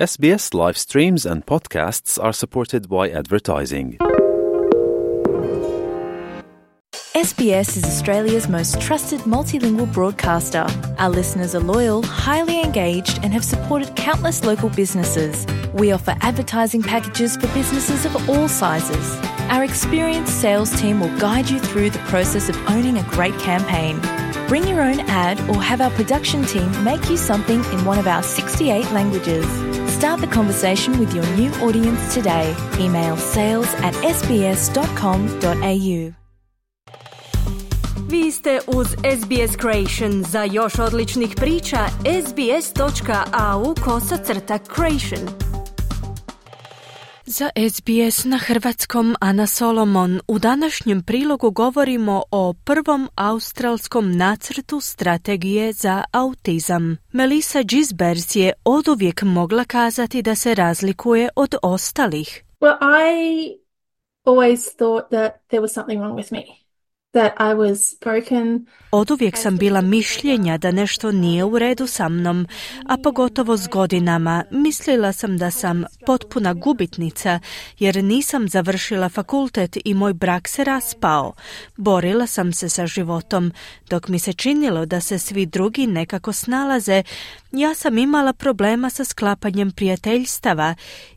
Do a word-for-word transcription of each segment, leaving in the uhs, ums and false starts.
S B S live streams and podcasts are supported by advertising. S B S is Australia's most trusted multilingual broadcaster. Our listeners are loyal, highly engaged, and have supported countless local businesses. We offer advertising packages for businesses of all sizes. Our experienced sales team will guide you through the process of owning a great campaign. Bring your own ad or have our production team make you something in one of our sixty-eight languages. Start the conversation with your new audience today. Email sales at s b s dot com dot a u. Vi ste uz S B S Creation. Za još odličnih priča, sbs.au kosacrta creation. Za S B S na hrvatskom Ana Solomon. U današnjem prilogu govorimo o prvom australskom nacrtu strategije za autizam. Melissa Gisbers je oduvijek mogla kazati da se razlikuje od ostalih. Well, I always thought that there was something wrong with me. That I was broken. Oduvijek sam bila mišljenja da nešto nije u redu sa mnom, a pogotovo s godinama. Mislila sam da sam potpuna gubitnica, jer nisam završila fakultet i moj brak se raspao. Borila sam se sa životom. Dok mi se činilo da se svi drugi nekako snalaze, ja sam imala problema sa sklapanjem prijateljstava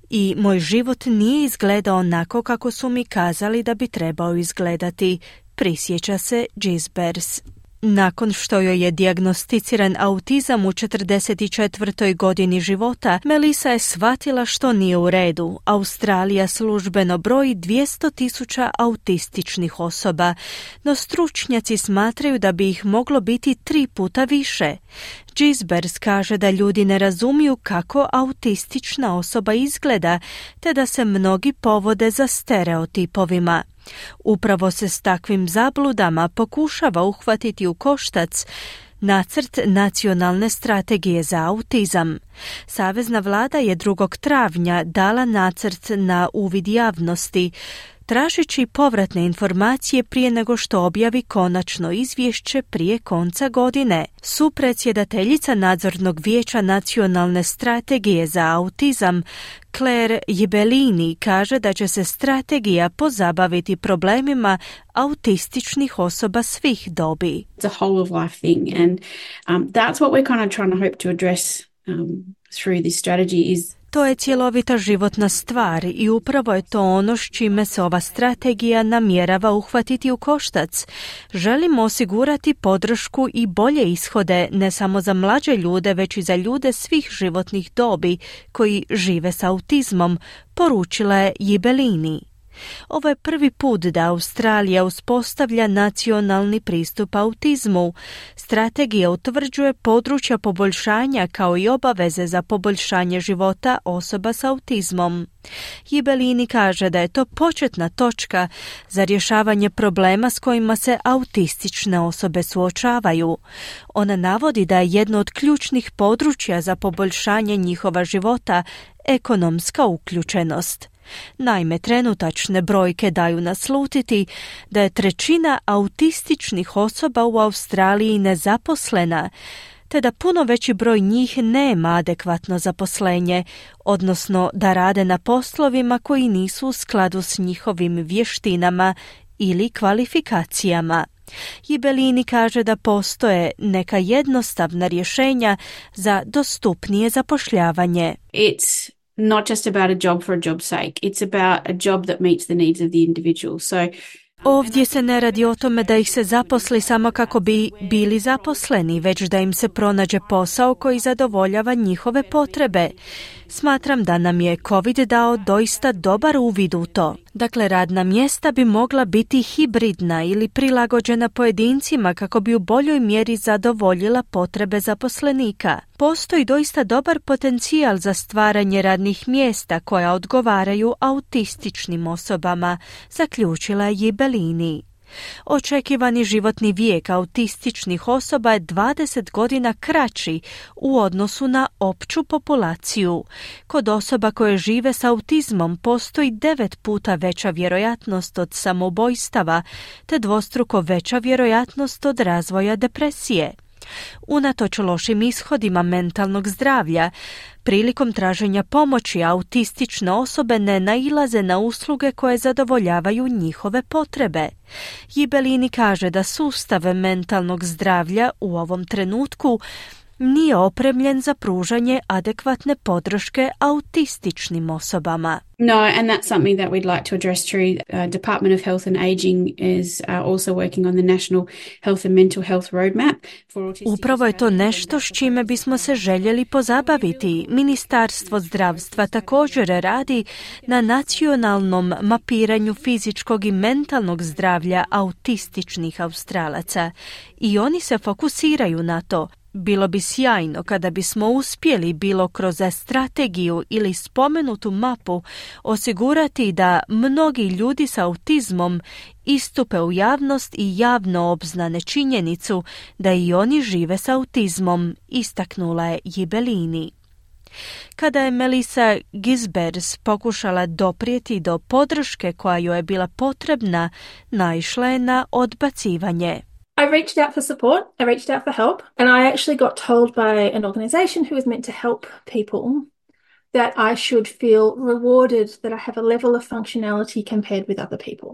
i moj život nije izgledao onako kako su mi kazali da bi trebao izgledati. Prisjeća se Gisbers. Nakon što joj je dijagnosticiran autizam u četrdeset četvrtoj godini života, Melissa je shvatila što nije u redu. Australija službeno broji dvjesto tisuća autističnih osoba, no stručnjaci smatraju da bi ih moglo biti tri puta više. Gisbers kaže da ljudi ne razumiju kako autistična osoba izgleda, te da se mnogi povode za stereotipovima. Upravo se s takvim zabludama pokušava uhvatiti u koštac nacrt nacionalne strategije za autizam. Savezna vlada je drugog travnja dala nacrt na uvid javnosti, tražeći povratne informacije prije nego što objavi konačno izvješće prije konca godine. Supredsjedateljica nadzornog vijeća nacionalne strategije za autizam, Claire Jibellini, kaže da će se strategija pozabaviti problemima autističnih osoba svih dobi. It's a whole of life thing, and um, that's what we're kind of trying to hope to address um, through this strategy is. To je cjelovita životna stvar i upravo je to ono s čime se ova strategija namjerava uhvatiti u koštac. Želimo osigurati podršku i bolje ishode ne samo za mlađe ljude, već i za ljude svih životnih dobi koji žive s autizmom, poručila je Jibellini. Ovo je prvi put da Australija uspostavlja nacionalni pristup autizmu. Strategija utvrđuje područja poboljšanja kao i obaveze za poboljšanje života osoba s autizmom. Jibellini kaže da je to početna točka za rješavanje problema s kojima se autistične osobe suočavaju. Ona navodi da je jedno od ključnih područja za poboljšanje njihova života ekonomska uključenost. Naime, trenutačne brojke daju naslutiti da je trećina autističnih osoba u Australiji nezaposlena, te da puno veći broj njih nema adekvatno zaposlenje, odnosno da rade na poslovima koji nisu u skladu s njihovim vještinama ili kvalifikacijama. Jibellini kaže da postoje neka jednostavna rješenja za dostupnije zapošljavanje. It's not just about a job for a job's sake. It's about a job that meets the needs of the individual. So Ovdje se ne radi o tome da ih se zaposli samo kako bi bili zaposleni, već da im se pronađe posao koji zadovoljava njihove potrebe. Smatram da nam je COVID dao doista dobar uvid u to. Dakle, radna mjesta bi mogla biti hibridna ili prilagođena pojedincima kako bi u boljoj mjeri zadovoljila potrebe zaposlenika. Postoji doista dobar potencijal za stvaranje radnih mjesta koja odgovaraju autističnim osobama, zaključila je Jibellini. Očekivani životni vijek autističnih osoba je dvadeset godina kraći u odnosu na opću populaciju. Kod osoba koje žive s autizmom postoji devet puta veća vjerojatnost od samoubojstava, te dvostruko veća vjerojatnost od razvoja depresije. Unatoč lošim ishodima mentalnog zdravlja, prilikom traženja pomoći autistične osobe ne nailaze na usluge koje zadovoljavaju njihove potrebe. Jibelini kaže da sustav mentalnog zdravlja u ovom trenutku nije opremljen za pružanje adekvatne podrške autističnim osobama. No, and that's something that we'd like to address through uh, Department of Health and Ageing is uh, also working on the National Health and Mental Health Roadmap for autistic. Upravo je to nešto s čime bismo se željeli pozabaviti. Ministarstvo zdravstva također radi na nacionalnom mapiranju fizičkog i mentalnog zdravlja autističnih Australaca i oni se fokusiraju na to. Bilo bi sjajno kada bismo uspjeli bilo kroz strategiju ili spomenutu mapu osigurati da mnogi ljudi s autizmom istupe u javnost i javno obznane činjenicu da i oni žive s autizmom, istaknula je Jibelini. Kada je Melissa Gisbers pokušala doprijeti do podrške koja joj je bila potrebna, naišla je na odbacivanje. I reached out for support, I reached out for help, and I actually got told by an organisation who was meant to help people that I should feel rewarded that I have a level of functionality compared with other people.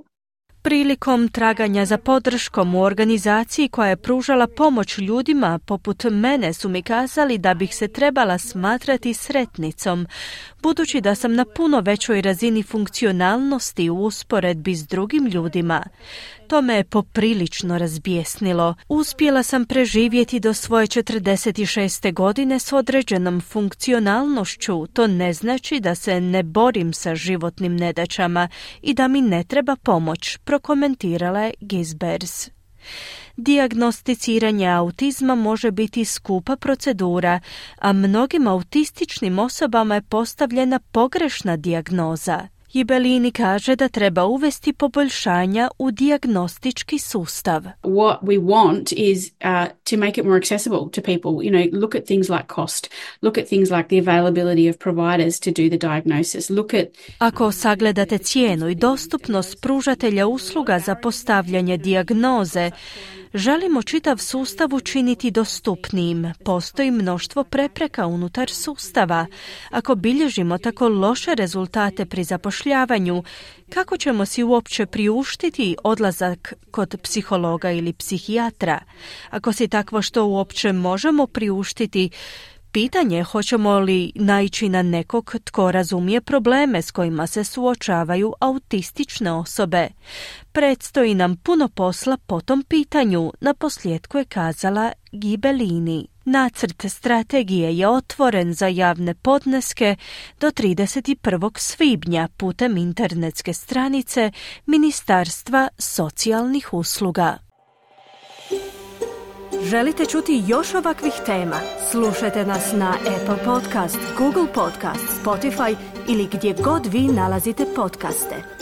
Prilikom traganja za podrškom u organizaciji koja je pružala pomoć ljudima poput mene su mi kazali da bih se trebala smatrati sretnicom, budući da sam na puno većoj razini funkcionalnosti u usporedbi s drugim ljudima. To me je poprilično razbijesnilo. Uspjela sam preživjeti do svoje četrdeset šeste godine s određenom funkcionalnošću. To ne znači da se ne borim sa životnim nedaćama i da mi ne treba pomoć, prokomentirala je Gisbers. Dijagnosticiranje autizma može biti skupa procedura, a mnogim autističnim osobama je postavljena pogrešna dijagnoza. Jibelini kaže da treba uvesti poboljšanja u dijagnostički sustav. What we want is uh, to make it more accessible to people. You know, look at things like cost. Look at things like the availability of providers to do the diagnosis. Look at... Ako sagledate cijenu i dostupnost pružatelja usluga za postavljanje dijagnoze, želimo čitav sustav učiniti dostupnijim. Postoji mnoštvo prepreka unutar sustava. Ako bilježimo tako loše rezultate pri zapošljavanju, kako ćemo si uopće priuštiti odlazak kod psihologa ili psihijatra? Ako si takvo što uopće možemo priuštiti, pitanje je hoćemo li naići na nekog tko razumije probleme s kojima se suočavaju autistične osobe. Predstoji nam puno posla po tom pitanju, naposljetku je kazala Jibelini. Nacrt strategije je otvoren za javne podneske do trideset prvog svibnja putem internetske stranice Ministarstva socijalnih usluga. Želite čuti još ovakvih tema? Slušajte nas na Apple Podcast, Google Podcast, Spotify ili gdje god vi nalazite podcaste.